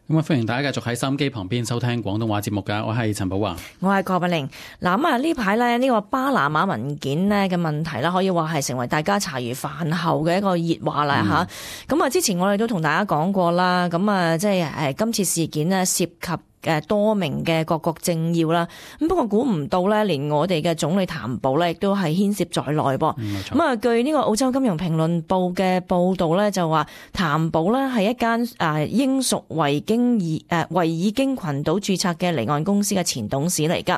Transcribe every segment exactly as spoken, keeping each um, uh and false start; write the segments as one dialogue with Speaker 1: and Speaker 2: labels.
Speaker 1: 咁啊，歡迎大家繼續喺收音機旁邊收聽廣東話節目㗎。我係陳寶華，
Speaker 2: 我係郭碧玲。嗱咁啊，呢排咧呢個巴拿馬文件咧嘅問題啦，可以話係成為大家茶餘飯後嘅一個熱話啦吓。咁啊、嗯，之前我哋都同大家講過啦，咁啊，即係誒今次事件呢涉及嘅多名嘅各國政要啦，咁不過估唔到咧，連我哋嘅總理譚寶咧，亦都係牽涉在內噃。咁啊、嗯，據呢個澳洲金融評論報嘅報導咧，就話譚寶咧係一間誒英屬維京爾誒維爾京群島註冊嘅離岸公司嘅前董事嚟㗎。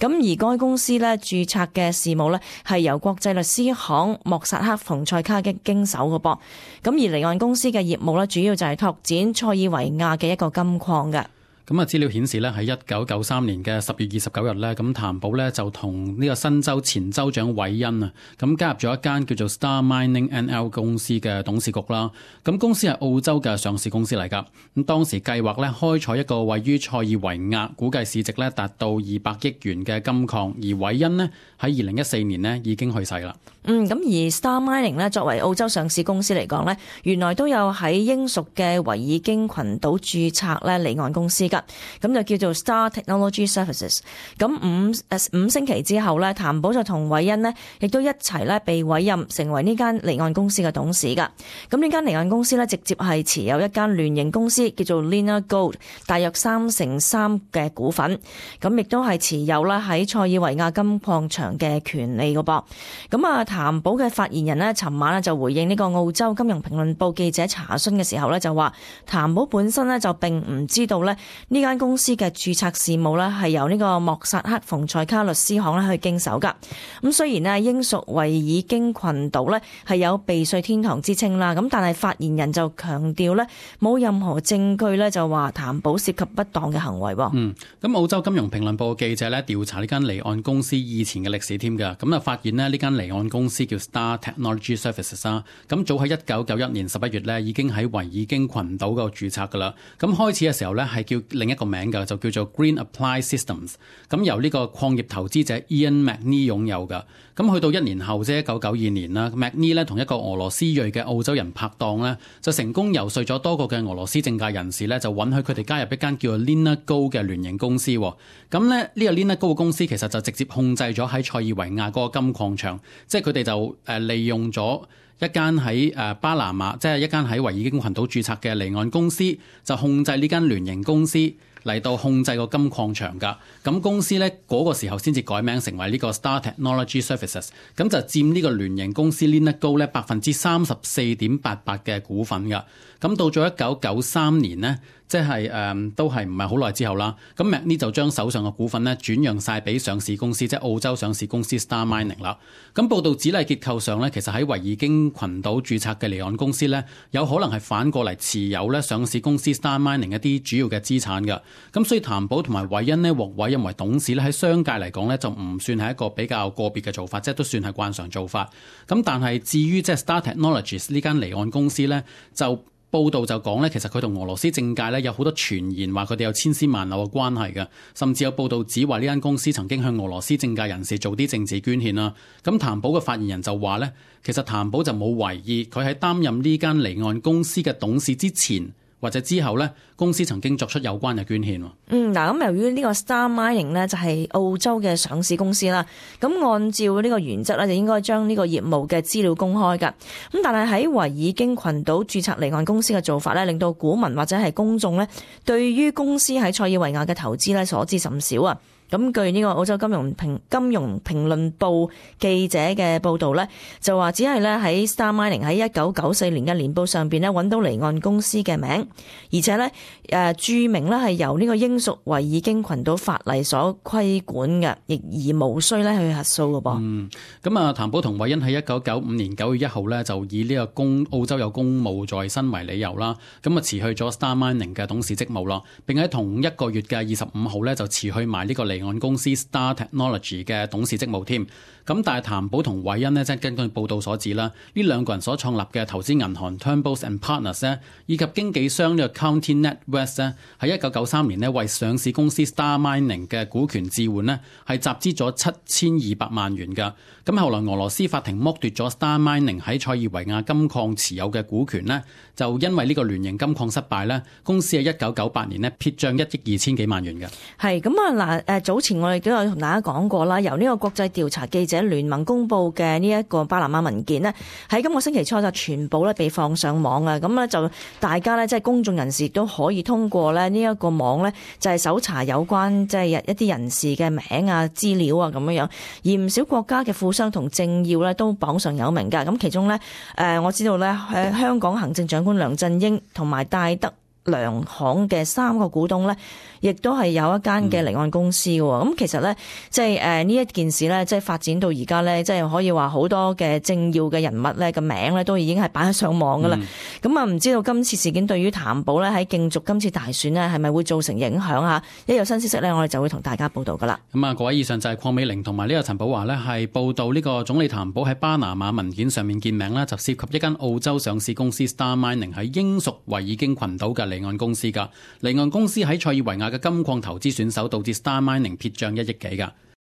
Speaker 2: 咁而該公司咧註冊嘅事務咧係由國際律師行莫薩克馮塞卡嘅經手嘅噃。咁而離岸公司嘅業務咧，主要就係拓展塞爾維亞嘅一個金礦嘅。
Speaker 1: 咁啊，資料顯示咧，喺一九九三年嘅十月二十九日咧，咁譚寶咧就同呢個新州前州長韋恩啊，咁加入咗一間叫做 Star Mining N L 公司嘅董事局啦。咁公司係澳洲嘅上市公司嚟㗎。咁當時計劃咧開採一個位於塞爾維亞，估計市值咧達到二百億元嘅金礦。而韋恩呢，喺二零一四年呢已經去世啦。
Speaker 2: 嗯，咁而 Star Mining 咧作為澳洲上市公司嚟講咧，原來都有喺英屬嘅維爾京群島註冊咧離岸公司㗎。咁就叫做 Star Technology Services。咁五誒五星期之後咧，譚寶就同韋恩呢亦都一齊咧被委任成為呢間離岸公司嘅董事㗎。咁呢間離岸公司咧直接係持有一間聯營公司叫做 Lina Gold， 大約三成三嘅股份。咁亦都係持有啦喺塞爾維亞金礦場嘅權利㗎噃。咁啊，譚寶嘅發言人呢，尋晚呢就回應呢個澳洲金融評論報記者查詢嘅時候呢，就話譚寶本身呢就並唔知道呢呢間公司嘅註冊事務呢係由呢個莫薩克馮塞卡律師行咧去經手噶。咁雖然呢英屬維爾京群島呢係有避稅天堂之稱啦，咁但係發言人就強調呢冇任何證據呢就話譚寶涉及不當嘅行為。
Speaker 1: 嗯，咁澳洲金融評論報記者呢調查呢間離岸公司以前嘅歷史添㗎，咁啊發現呢呢間離岸公司叫 Star Technology Services 啊，咁早喺一九九一年十一月呢已經喺維爾京群島嗰度註冊噶啦。咁開始嘅時候呢係叫另一個名嘅，就叫做 Green Apply Systems， 咁由呢個礦業投資者 Ian McNee 擁有嘅。咁去到一年後即係一九九二年啦 ，McNee 咧同一個俄羅斯裔嘅澳洲人拍檔咧，就成功遊說咗多個嘅俄羅斯政界人士咧，就允許佢哋加入一間叫做 Lina Gold 嘅聯營公司。咁咧呢個 Lina Gold 嘅公司其實就直接控制咗喺塞爾維亞嗰個金礦場，即係佢哋就誒利用咗一間喺誒巴拿馬，即係一間喺維爾京群島註冊嘅離岸公司，就控制呢間聯營公司嚟到控制個金礦場㗎。咁公司呢嗰、那個時候先至改名成為呢個 Star Technology Services， 咁就佔呢個聯營公司 Lina Gold 咧百分之三十四點八八嘅股份㗎。咁到咗一九九三年呢，即係誒、嗯、都係唔係好耐之後啦。咁 McNee 就將手上嘅股份呢轉讓晒俾上市公司，即係澳洲上市公司 Star Mining 啦。咁報道指例結構上呢，其實喺維爾京群島註冊嘅離岸公司呢，有可能係反過嚟持有咧上市公司 Star Mining 一啲主要嘅資產㗎。咁所以譚寶同埋韋恩呢獲委任為董事咧，喺商界嚟講呢，就唔算係一個比較個別嘅做法，即係都算係慣常做法。咁但係至於即係 Star Technologies 呢間離岸公司呢，就報道就講咧，其實佢同俄羅斯政界咧有好多傳言，話佢哋有千絲萬縷嘅關係嘅，甚至有報道指話呢間公司曾經向俄羅斯政界人士做啲政治捐獻啦。咁譚寶嘅發言人就話咧，其實譚寶就冇懷疑佢喺擔任呢間離岸公司嘅董事之前或者之後呢，公司曾經作出有關嘅捐獻。
Speaker 2: 嗯，嗱，咁由於呢個 Star Mining 呢，就係澳洲嘅上市公司啦，咁按照呢個原則呢，就應該將呢個業務嘅資料公開㗎。咁但係喺維爾京群島註冊離岸公司嘅做法呢，令到股民或者係公眾呢，對於公司喺塞爾維亞嘅投資呢，所知甚少啊。咁據呢個澳洲金融評金融評論報記者嘅報導呢，就話只係咧喺 Star Mining 喺一九九四年嘅年報上邊咧揾到離岸公司嘅名，而且呢誒註明咧係由呢個英屬維爾京群島法例所規管嘅，亦而無需咧去核數嘅噃。
Speaker 1: 嗯，咁啊，譚寶同韋恩喺一九九五年九月一號呢，就以呢個公澳洲有公務在身為理由啦，咁啊辭去咗 Star Mining 嘅董事職務啦，並喺同一個月嘅二十五號呢，就辭去埋呢個離離岸公司 Star Technology 嘅董事職務添。咁但係譚寶同韋恩呢，即係根據報道所指啦，呢兩個人所創立嘅投資銀行 Turnbull and Partners 呢，以及經紀商呢個 County NatWest 呢，喺一九九三年呢，為上市公司 Star Mining 嘅股權置換呢，係集資咗七千二百萬元㗎。咁後來俄羅斯法庭剝奪咗 Star Mining 喺塞爾維亞金礦持有嘅股權呢，就因為呢個聯營金礦失敗呢，公司喺一九九八年呢，撇帳一億二千幾萬元嘅。
Speaker 2: 係咁啊嗱，誒早前我哋都有同大家講過啦，由呢個國際調查記者聯盟公佈嘅呢一個巴拿馬文件呢，喺今個星期初就全部咧被放上網啊！咁咧就大家咧即係公眾人士都可以通過咧呢一個網咧，就係搜查有關即係一啲人士嘅名啊、資料啊咁樣樣，而唔少國家嘅富商同政要咧都榜上有名㗎。咁其中咧誒我知道咧誒香港行政長官梁振英同埋戴德梁行嘅三個股東咧，亦都係有一間嘅離岸公司嘅。咁、嗯、其實咧，即係誒呢一件事咧，即係發展到而家咧，即係可以話好多嘅政要嘅人物咧嘅名咧，都已經係擺喺上網噶啦。咁啊、嗯，唔知道今次事件對於譚寶咧喺競逐今次大選呢，係咪會造成影響啊？一有新消息咧，我哋就會同大家報道噶啦。咁
Speaker 1: 啊，各位以上就係鄺美玲同埋呢個陳寶華呢，係報道呢個總理譚寶喺巴拿馬文件上面見名啦，就涉及一間澳洲上市公司 Star Mining 喺英屬維爾京群島嘅離岸公司噶。離岸公司喺塞爾維亞嘅金礦投資選手，導致 Star Mining 撇帳一億幾噶。